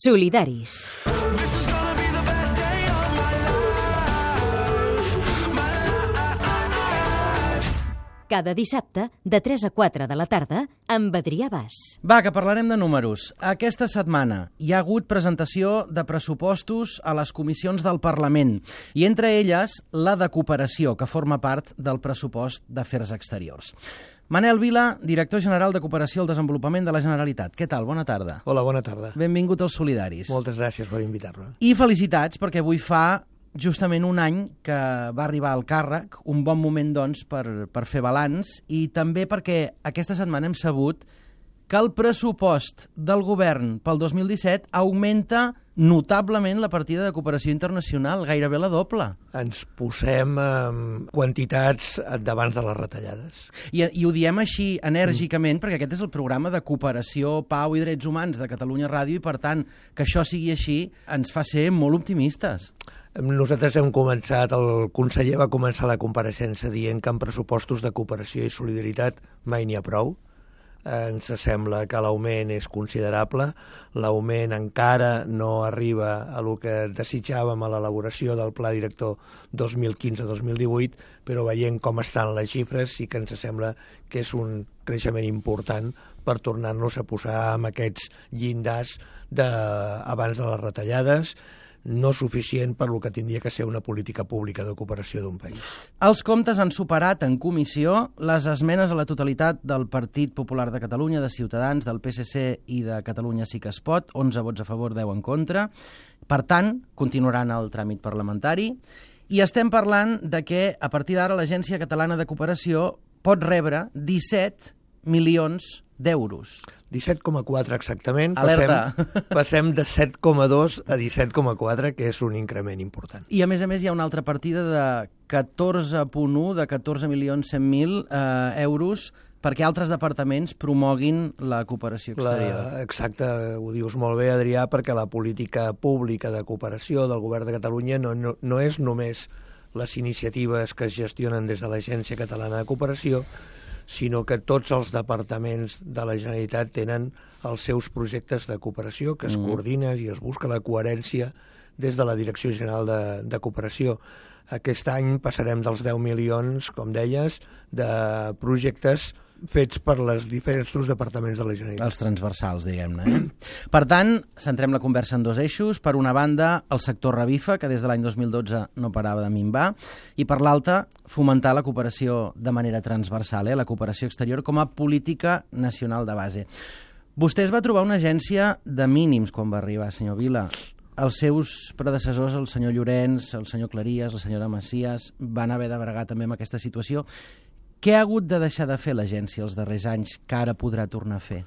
Solidaris. Cada dissabte, de 3 a 4 de la tarda, amb Adrià Bas. Va, que parlarem de números. Aquesta setmana hi ha hagut presentació de pressupostos a les comissions del Parlament, i entre elles la de cooperació, que forma part del pressupost d'Afers Exteriors. Manel Vila, director general de Cooperació al Desenvolupament de la Generalitat. Què tal? Bona tarda. Hola, bona tarda. Benvingut als Solidaris. Moltes gràcies per invitar-me. I felicitats, perquè avui fa justament un any que va arribar al càrrec, un bon moment, doncs, per fer balanç, i també perquè aquesta setmana hem sabut que el pressupost del govern pel 2017 augmenta notablement la partida de cooperació internacional, gairebé la doble. Ens posem quantitats d'abans de les retallades. I ho diem així enèrgicament perquè aquest és el programa de cooperació, pau i drets humans de Catalunya Ràdio, i per tant, que això sigui així ens fa ser molt optimistes. Nosaltres hem començat, el conseller va començar la compareixença dient que en pressupostos de cooperació i solidaritat mai n'hi ha prou. Ens sembla que l'augment és considerable, l'augment encara no arriba a lo que desitjàvem a l'elaboració del Pla Director 2015-2018, però veient com estan les xifres sí que ens sembla que és un creixement important per tornar-nos a posar amb aquests llindars abans de les retallades, no suficient per lo que tindria que ser una política pública de cooperació d'un país. Els comptes han superat en comissió les esmenes a la totalitat del Partit Popular de Catalunya, de Ciutadans, del PSC i de Catalunya Sí que es pot, 11 vots a favor, 10 en contra. Per tant, continuaran el tràmit parlamentari. I estem parlant de que, a partir d'ara, l'Agència Catalana de Cooperació pot rebre 17 milions d'euros. 17,4 exactament. Alerta. Passem de 7,2 a 17,4, que és un increment important. I a més hi ha una altra partida de 14,1, de 14.100.000 euros perquè altres departaments promoguin la cooperació exterior. Exacte, ho dius molt bé, Adrià, perquè la política pública de cooperació del Govern de Catalunya no és només les iniciatives que es gestionen des de l'Agència Catalana de Cooperació, sinó que tots els departaments de la Generalitat tenen els seus projectes de cooperació, que es coordina i es busca la coherència des de la Direcció General de Cooperació. Aquest any passarem dels 10 milions, com deies, de projectes fets per els diferents departaments de la Generalitat. Els transversals, diguem-ne. Per tant, centrem la conversa en dos eixos. Per una banda, el sector revifa, que des de l'any 2012 no parava de minvar, i per l'altra, fomentar la cooperació de manera transversal, la cooperació exterior com a política nacional de base. Vostè es va trobar una agència de mínims quan va arribar, senyor Vila. Els seus predecessors, el senyor Llorenç, el senyor Claries, la senyora Macias, van haver de bregar també amb aquesta situació. Què ha hagut de deixar de fer l'agència els darrers anys que ara podrà tornar a fer?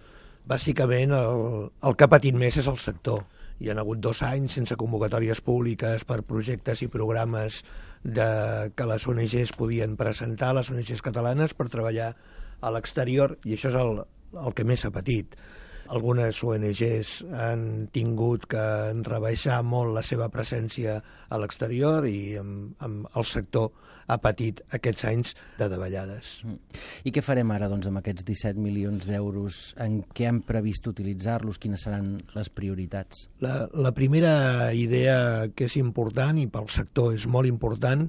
Bàsicament, el que ha patit més és el sector. Hi ha hagut 2 anys sense convocatòries públiques per projectes i programes que les ONGs podien presentar, les ONGs catalanes, per treballar a l'exterior, i això és el que més ha patit. Algunes ONGs han tingut que rebaixar molt la seva presència a l'exterior i el sector ha patit aquests anys de davallades. I què farem ara, doncs, amb aquests 17 milions d'euros? En què han previst utilitzar-los? Quines seran les prioritats? La primera idea que és important, i pel sector és molt important,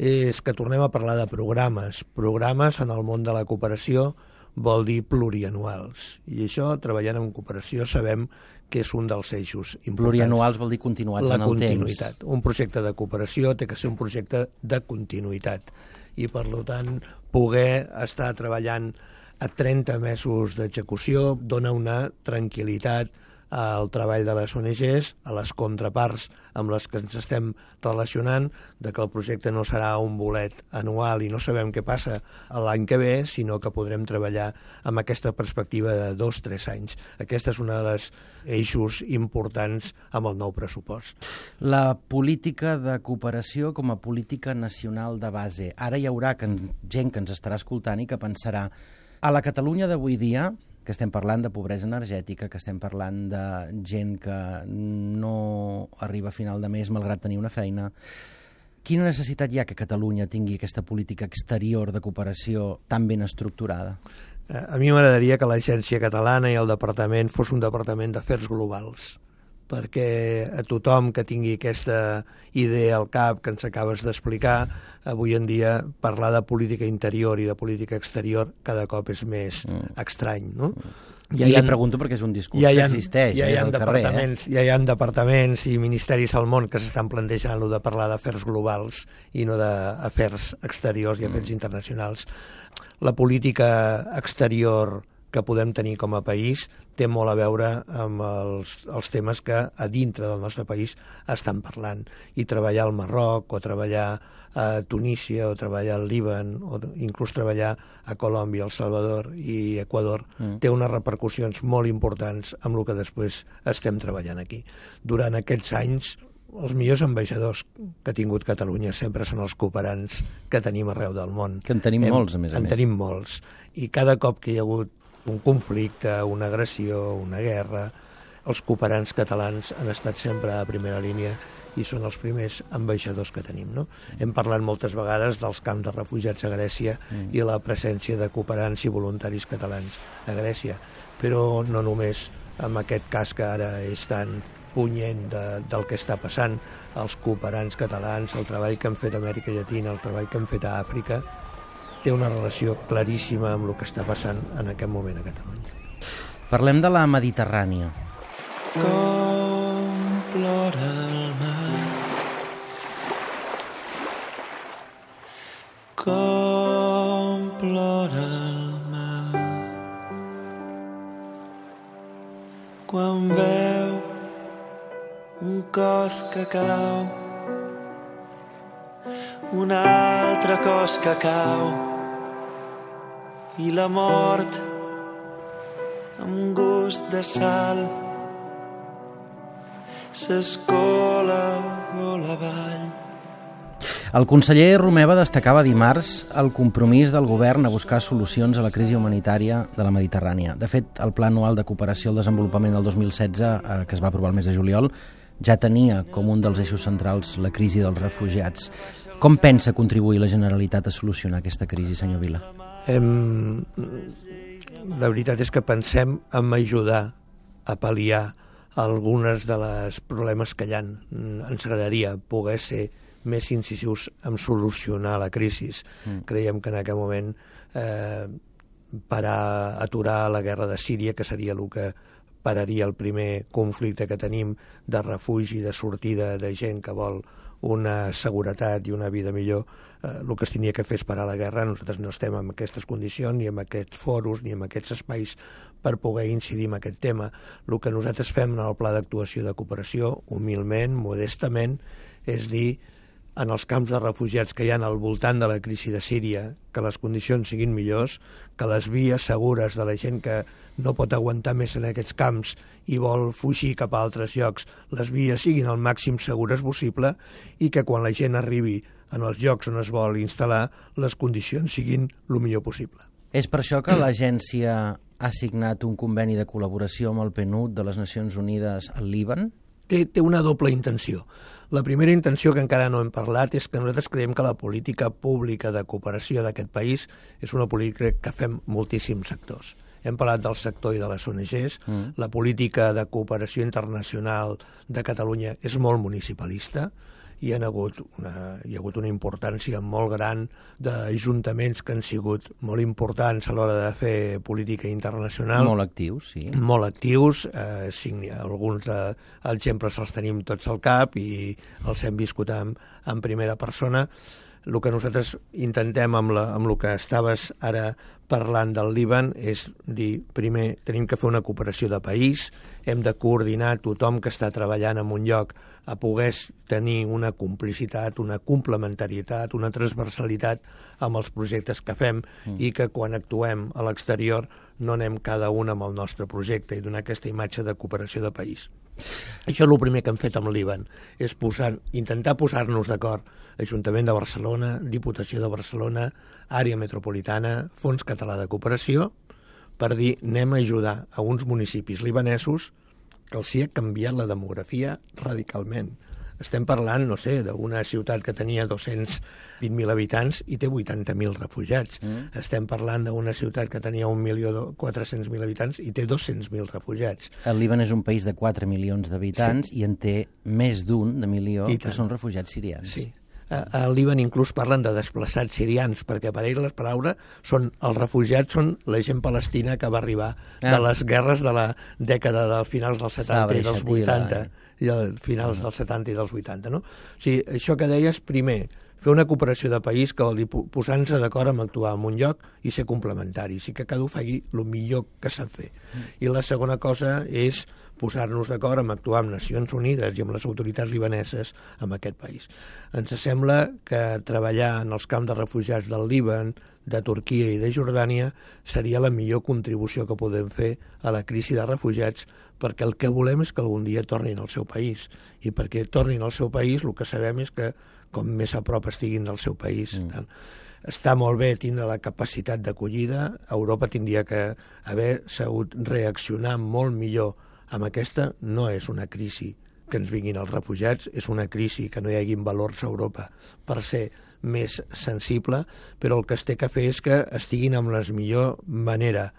és que tornem a parlar de programes. Programes en el món de la cooperació vol dir plurianuals. I això, treballant en cooperació, sabem que és un dels eixos importants. Plurianuals vol dir continuats en el temps. La continuïtat. Un projecte de cooperació té que ser un projecte de continuïtat. I, per tant, poder estar treballant a 30 mesos d'execució dona una tranquil·litat al treball de les ONGs, a les contraparts amb les que ens estem relacionant, de que el projecte no serà un bolet anual i no sabem què passa l'any que ve, sinó que podrem treballar amb aquesta perspectiva de 2-3 anys. Aquesta és una de les eixos importants amb el nou pressupost. La política de cooperació com a política nacional de base. Ara hi haurà gent que ens estarà escoltant i que pensarà a la Catalunya d'avui dia, que estem parlant de pobresa energètica, que estem parlant de gent que no arriba a final de mes malgrat tenir una feina. Quina necessitat hi ha que Catalunya tingui aquesta política exterior de cooperació tan ben estructurada? A mi m'agradaria que l'Agència Catalana i el departament fos un departament d'afers globals, perquè a tothom que tingui aquesta idea al cap que ens acabes d'explicar, avui en dia parlar de política interior i de política exterior cada cop és més estrany, no? Ja li pregunto perquè és un discurs que existeix al carrer. Ja hi ha departaments i ministeris al món que s'estan plantejant de parlar d'afers globals i no d'afers exteriors i afers internacionals. La política exterior que podem tenir com a país té molt a veure amb els temes que a dintre del nostre país estan parlant. I treballar al Marroc, o treballar a Tunísia, o treballar al Líban, o inclús treballar a Colòmbia, El Salvador i Equador, té unes repercussions molt importants amb el que després estem treballant aquí. Durant aquests anys, els millors ambaixadors que ha tingut Catalunya sempre són els cooperants que tenim arreu del món. Que en tenim molts, a més a més. En tenim molts. I cada cop que hi ha hagut un conflicte, una agressió, una guerra, els cooperants catalans han estat sempre a primera línia i són els primers ambaixadors que tenim, no? Hem parlat moltes vegades dels camps de refugiats a Grècia i la presència de cooperants i voluntaris catalans a Grècia, però no només amb aquest cas que ara és tan punyent del que està passant, els cooperants catalans, el treball que han fet a Amèrica Llatina, el treball que han fet a Àfrica, té una relació claríssima amb el que està passant en aquest moment a Catalunya. Parlem de la Mediterrània. Com plora el mar, com plora el mar, quan veu un cos que cau, un altre cos que cau, i la mort amb gust de sal s'escola gola avall. El conseller Romeva destacava dimarts el compromís del govern a buscar solucions a la crisi humanitària de la Mediterrània. De fet, el Pla Anual de Cooperació al Desenvolupament del 2016, que es va aprovar el mes de juliol, ja tenia com un dels eixos centrals la crisi dels refugiats. Com pensa contribuir la Generalitat a solucionar aquesta crisi, senyor Vila? La veritat és que pensem en ajudar a pal·liar algunes de les problemes que hi ha. Ens agradaria poder ser més incisius en solucionar la crisi. Creiem que en aquest moment aturar la guerra de Síria, que seria el que pararia el primer conflicte que tenim de refugi, de sortida de gent que vol una seguretat i una vida millor, el que es tenia que fer és parar la guerra. Nosaltres no estem en aquestes condicions, ni en aquests foros, ni en aquests espais per poder incidir en aquest tema. El que nosaltres fem en el pla d'actuació de cooperació, humilment, modestament, és dir, en els camps de refugiats que hi ha al voltant de la crisi de Síria, que les condicions siguin millors, que les vies segures de la gent que no pot aguantar més en aquests camps i vol fugir cap a altres llocs, les vies siguin el màxim segures possible i que quan la gent arribi en els llocs on es vol instal·lar, les condicions siguin el millor possible. És per això que l'agència ha signat un conveni de col·laboració amb el PNUD de les Nacions Unides al Líban? Té una doble intenció. La primera intenció, que encara no hem parlat, és que nosaltres creiem que la política pública de cooperació d'aquest país és una política que fem moltíssims sectors. Hem parlat del sector i de les ONGs. La política de cooperació internacional de Catalunya és molt municipalista. Hi ha hagut una importància molt gran d'ajuntaments que han sigut molt importants a l'hora de fer política internacional. Molt actius, sí. Molt actius. Alguns exemples els tenim tots al cap i els hem viscut en primera persona. El que nosaltres intentem amb el que estaves ara parlant del Líban és dir, primer, tenim que fer una cooperació de país, hem de coordinar tothom que està treballant en un lloc a poder tenir una complicitat, una complementarietat, una transversalitat amb els projectes que fem i que quan actuem a l'exterior no anem cada un amb el nostre projecte i donar aquesta imatge de cooperació de país. Això és el primer que hem fet amb el Líban, és intentar posar-nos d'acord Ajuntament de Barcelona, Diputació de Barcelona, Àrea Metropolitana, Fons Català de Cooperació, per dir, anem a ajudar a uns municipis libanesos que els hi ha canviat la demografia radicalment. estem parlant, no sé, d'una ciutat que tenia 220.000 habitants i té 80.000 refugiats. Estem parlant d'una ciutat que tenia 1.400.000 habitants i té 200.000 refugiats. El Líban és un país de 4 milions d'habitants i en té més d'un de milió que són refugiats sirians. Sí. Al Líban inclús parlen de desplaçats sirians, perquè per ells les paraules són els refugiats són la gent palestina que va arribar de les guerres de la dècada dels finals dels 70 i dels 80, i finals dels 70 i dels 80. No? O sigui, això que deies, primer, fer una cooperació de país que vol dir posar-nos d'acord amb actuar en un lloc i ser complementaris, i que cada un faci el millor que sap fer. I la segona cosa és posar-nos d'acord amb actuar amb Nacions Unides i amb les autoritats libaneses en aquest país. Ens sembla que treballar en els camps de refugiats del Líban, de Turquia i de Jordània seria la millor contribució que podem fer a la crisi de refugiats, perquè el que volem és que algun dia tornin al seu país. I perquè tornin al seu país el que sabem és que com més a prop estiguin del seu país. Està molt bé tindre la capacitat d'acollida. Europa tindria que haver sabut reaccionar molt millor amb aquesta. No és una crisi que ens vinguin els refugiats, és una crisi que no hi haguin valors a Europa per ser més sensible, però el que es té que fer és que estiguin amb la millor manera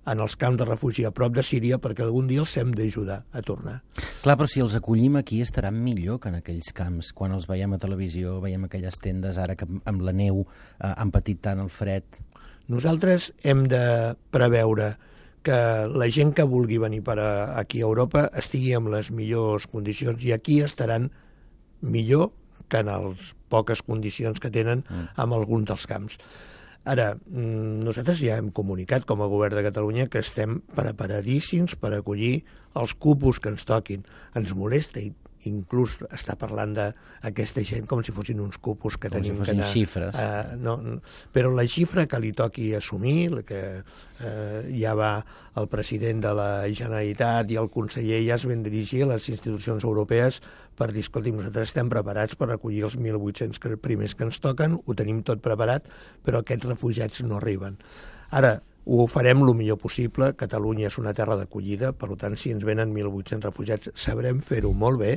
en els camps de refugi a prop de Síria, perquè algun dia els hem d'ajudar a tornar. Clar, però si els acollim aquí estaran millor que en aquells camps. Quan els veiem a televisió, veiem aquelles tendes ara que amb la neu han patit tant el fred. Nosaltres hem de preveure que la gent que vulgui venir aquí a Europa estigui en les millors condicions, i aquí estaran millor que en les poques condicions que tenen en alguns dels camps. Ara, nosaltres ja hem comunicat com a govern de Catalunya que estem preparadíssims per acollir els cupos que ens toquin. Ens molesta i inclús està parlant d'aquesta gent com si fossin uns cupos que tenim que anar... xifres. Però la xifra que li toqui assumir, que ja va el president de la Generalitat i el conseller ja es van dirigir a les institucions europees per dir, escolti, nosaltres estem preparats per acollir els 1.800 primers que ens toquen, ho tenim tot preparat, però aquests refugiats no arriben. Ara, ho farem el millor possible. Catalunya és una terra d'acollida, per tant, si ens venen 1.800 refugiats, sabrem fer-ho molt bé,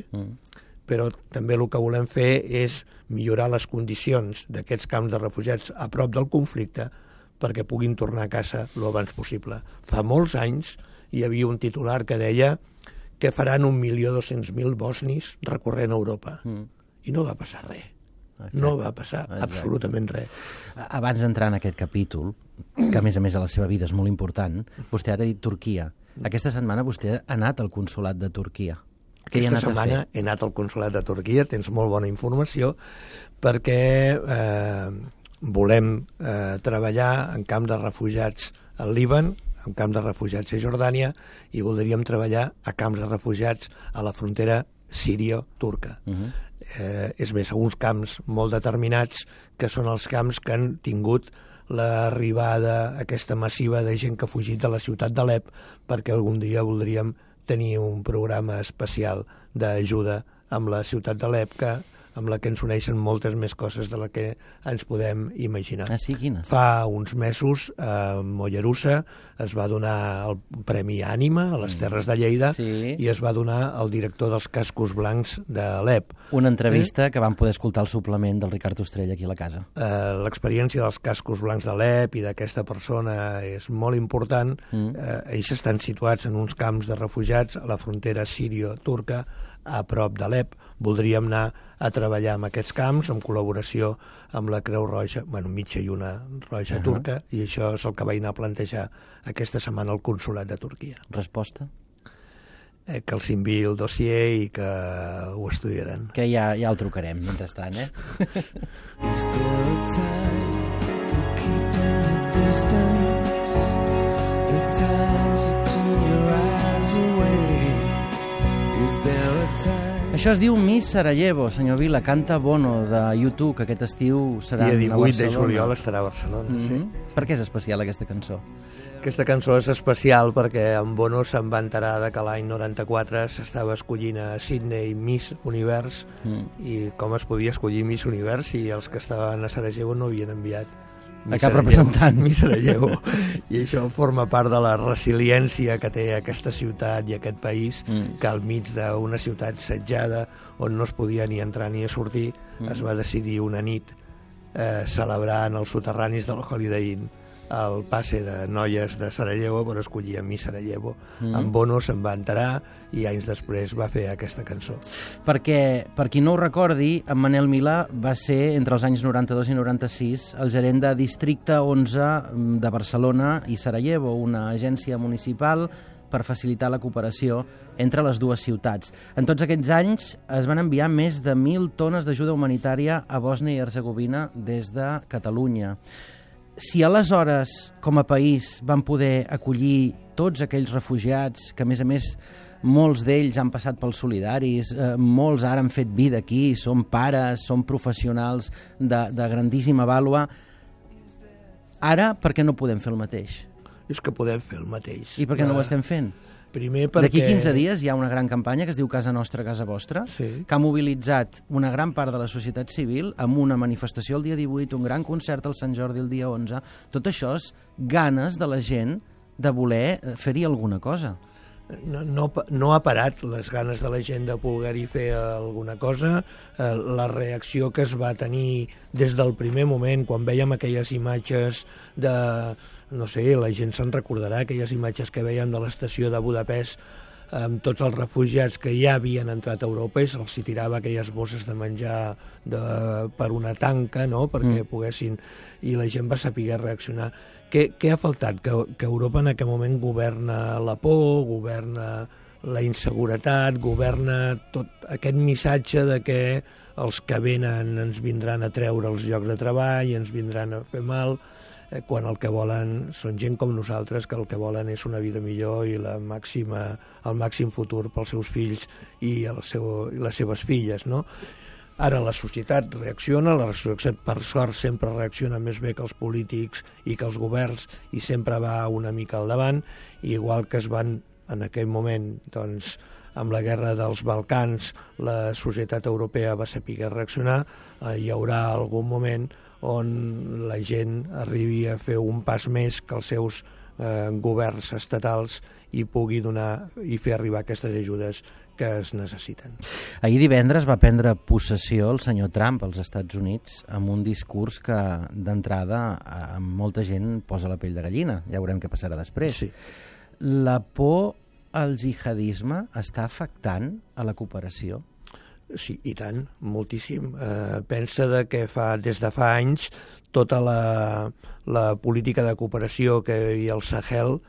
però també el que volem fer és millorar les condicions d'aquests camps de refugiats a prop del conflicte perquè puguin tornar a casa el abans possible. Fa molts anys hi havia un titular que deia que faran 1.200.000 bosnis recorrent Europa. I no va passar res. No va passar absolutament res. Abans d'entrar en aquest capítol, que a més a la seva vida és molt important, vostè ara ha dit Turquia. Aquesta setmana vostè ha anat al consolat de Turquia. Aquesta setmana he anat al consolat de Turquia, tens molt bona informació, perquè volem treballar en camp de refugiats al Líban, en camp de refugiats a Jordània, i voldríem treballar a camps de refugiats a la frontera sírio-turca. És més, uns camps molt determinats, que són els camps que han tingut l'arribada aquesta massiva de gent que ha fugit de la ciutat d'Alep, perquè algun dia voldríem tenir un programa especial d'ajuda amb la ciutat d'Alep, amb la que ens uneixen moltes més coses de la que ens podem imaginar. Ah, sí? Quines? Fa uns mesos a Mollerussa es va donar el Premi Ànima a les Terres de Lleida, i es va donar al director dels Cascos Blancs d'Alep. Una entrevista que vam poder escoltar al suplement del Ricard Ostrell aquí a la casa. L'experiència dels Cascos Blancs d'Alep i d'aquesta persona és molt important. Ells estan situats en uns camps de refugiats a la frontera sírio-turca, a prop d'Alep. Voldríem anar a treballar en aquests camps en col·laboració amb la Creu Roja, mitja i una roja turca, i això és el que vaig anar a plantejar aquesta setmana al consolat de Turquia. Resposta? Que els enviï el dossier i que ho estudiaran. Que ja el trucarem, mentrestant, Is there a time for keeping a distance? The time to turn your eyes away. Is there a time? Això es diu Miss Sarajevo, senyor Vila, canta Bono de YouTube, que aquest estiu serà a Barcelona. I a 18 de juliol estarà a Barcelona, sí. Per què és especial aquesta cançó? Aquesta cançó és especial perquè en Bono se'n va enterar que l'any 94 s'estava escollint a Sydney Miss Univers, i com es podia escollir Miss Univers si els que estaven a Sarajevo no havien enviat a cap representant. Mi Sarajevo. I això forma part de la resiliència que té aquesta ciutat i aquest país, que al mig d'una ciutat setjada on no es podia ni entrar ni a sortir, es va decidir una nit celebrar en els soterranis del Holiday Inn el passe de noies de Sarajevo per escollir a Mi Sarajevo. En Bono se'n va enterar i anys després va fer aquesta cançó. Perquè, per qui no ho recordi, en Manel Milà va ser, entre els anys 92 i 96, el gerent de Districte 11 de Barcelona i Sarajevo, una agència municipal per facilitar la cooperació entre les dues ciutats. En tots aquests anys es van enviar més de 1.000 tones d'ajuda humanitària a Bòsnia i Hercegovina des de Catalunya. Si aleshores, com a país, van poder acollir tots aquells refugiats, que a més, molts d'ells han passat pels solidaris, molts ara han fet vida aquí, són pares, són professionals de grandíssima vàlua, ara per què no podem fer el mateix? És que podem fer el mateix. I per què no ho estem fent? Primer perquè... D'aquí 15 dies hi ha una gran campanya que es diu Casa Nostra, Casa Vostra, Sí. que ha mobilitzat una gran part de la societat civil amb una manifestació el dia 18, un gran concert al Sant Jordi el dia 11. Tot això és ganes de la gent de voler fer-hi alguna cosa. No ha parat les ganes de la gent de poder-hi fer alguna cosa. La reacció que es va tenir des del primer moment, quan vèiem aquelles imatges de... No sé, la gent se'n recordarà, aquelles imatges que vèiem de l'estació de Budapest amb tots els refugiats que ja havien entrat a Europa i se'ls tirava aquelles bosses de menjar per una tanca, no?, perquè poguessin... I la gent va saber reaccionar. Què ha faltat? Que Europa en aquest moment governa la por, governa la inseguretat, governa tot aquest missatge de que els que venen ens vindran a treure els llocs de treball, ens vindran a fer mal, quan el que volen són gent com nosaltres, que el que volen és una vida millor i el màxim futur pels seus fills i les seves filles, no? Ara la societat reacciona, la societat per sort sempre reacciona més bé que els polítics i que els governs i sempre va una mica al davant, igual que es van en aquell moment, doncs, amb la guerra dels Balcans, la societat europea va saber reaccionar, hi haurà algun moment on la gent arribi a fer un pas més que els seus governs estatals i pugui donar i fer arribar aquestes ajudes que es necessiten. Ahir divendres va prendre possessió el senyor Trump als Estats Units amb un discurs que d'entrada a molta gent posa la pell de gallina. Ja veurem què passarà després. Sí. La por al jihadisme està afectant a la cooperació? Sí, i tant, moltíssim. Pensa que des de fa anys tota la política de cooperació que hi havia al Sahel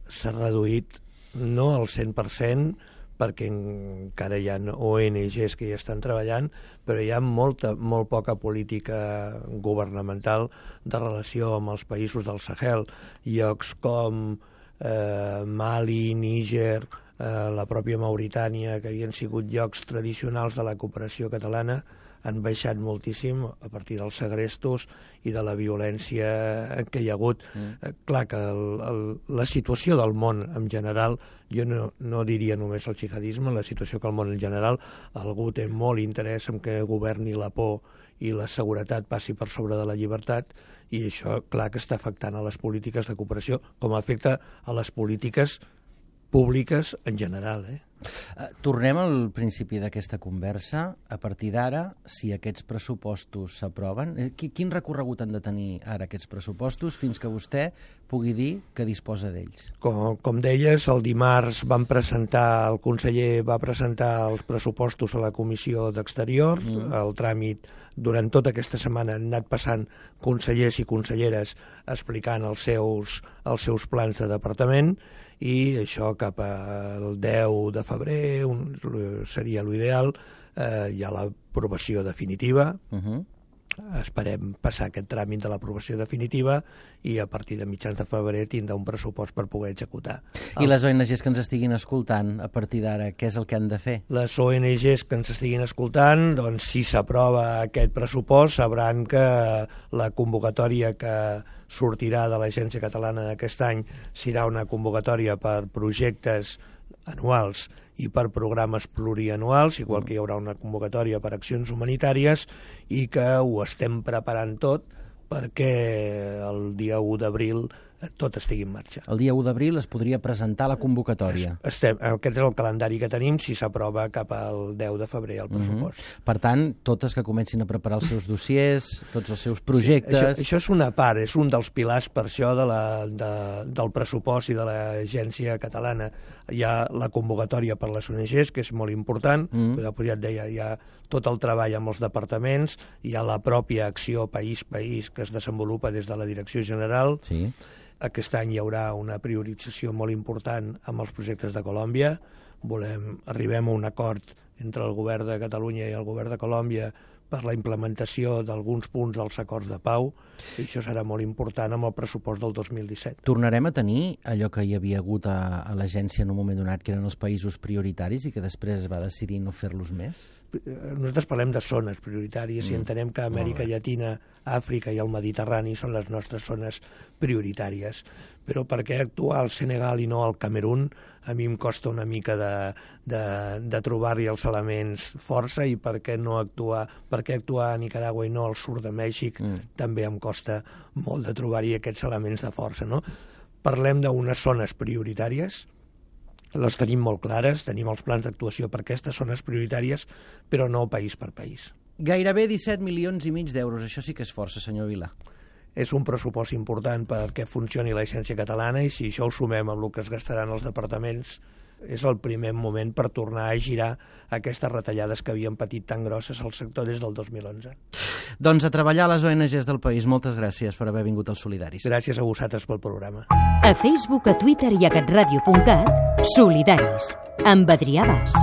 s'ha reduït no al 100%, perquè encara hi ha ONGs que hi estan treballant, però hi ha molt poca política governamental de relació amb els països del Sahel. Llocs com Mali, Níger, la pròpia Mauritània, que havien sigut llocs tradicionals de la cooperació catalana, han baixat moltíssim a partir dels segrestos i de la violència que hi ha hagut. Clar que la situació del món en general, jo no diria només el jihadisme, la situació que el món en general, algú té molt interès en que governi la por i la seguretat passi per sobre de la llibertat, i això, clar que està afectant a les polítiques de cooperació, com afecta a les polítiques públiques en general. Tornem al principi d'aquesta conversa. A partir d'ara, si aquests pressupostos s'aproven, quin recorregut han de tenir ara aquests pressupostos fins que vostè pugui dir que disposa d'ells? Com deies, el dimarts el conseller va presentar els pressupostos a la Comissió d'Exteriors. El tràmit durant tota aquesta setmana han anat passant consellers i conselleres explicant els seus plans de departament, i això cap al 10 de febrer seria l'ideal. Hi ha l'aprovació definitiva. Esperem passar aquest tràmit de l'aprovació definitiva i a partir de mitjans de febrer tindrà un pressupost per poder executar. I les ONGs que ens estiguin escoltant, a partir d'ara, què és el que han de fer? Les ONGs que ens estiguin escoltant, doncs si s'aprova aquest pressupost, sabran que la convocatòria que sortirà de l'Agència Catalana d'aquest any serà una convocatòria per projectes anuals i per programes plurianuals, igual que hi haurà una convocatòria per accions humanitàries, i que ho estem preparant tot perquè el dia 1 d'abril tot estigui en marxa. El dia 1 d'abril es podria presentar la convocatòria. Aquest és el calendari que tenim si s'aprova cap al 10 de febrer el pressupost. Per tant, totes que comencin a preparar els seus dossiers, tots els seus projectes... Sí, això és una part, és un dels pilars per això del pressupost i de l'agència catalana. Hi ha la convocatòria per les ONGs, que és molt important, però ja et deia, hi ha tot el treball amb els departaments, hi ha la pròpia acció país-país que es desenvolupa des de la Direcció General. Sí. Aquest any hi haurà una priorització molt important amb els projectes de Colòmbia. Arribem a un acord entre el govern de Catalunya i el govern de Colòmbia per la implementació d'alguns punts dels acords de pau, i això serà molt important amb el pressupost del 2017. Tornarem a tenir allò que hi havia hagut a l'agència en un moment donat, que eren els països prioritaris i que després va decidir no fer-los més? Nosaltres parlem de zones prioritàries i entenem que Amèrica Llatina, Àfrica i el Mediterrani són les nostres zones prioritàries. Però per què actuar al Senegal i no al Camerún? A mi em costa una mica de trobar-hi els elements força, i per què actuar a Nicaragua i no al sud de Mèxic també em costa molt de trobar-hi aquests elements de força, no? Parlem d'unes zones prioritàries, les tenim molt clares, tenim els plans d'actuació per aquestes zones prioritàries, però no país per país. Gairebé 17,5 milions d'euros, això sí que és força, senyor Vila. És un pressupost important perquè funcioni l'agència catalana, i si això ho sumem amb el que es gastaran els departaments, és el primer moment per tornar a girar aquestes retallades que havien patit tan grosses al sector des del 2011. Doncs a treballar a les ONGs del país. Moltes gràcies per haver vingut als Solidaris. Gràcies a vosaltres pel programa. A Facebook, a Twitter i a catradio.cat, Solidaris, amb Adrià Bas.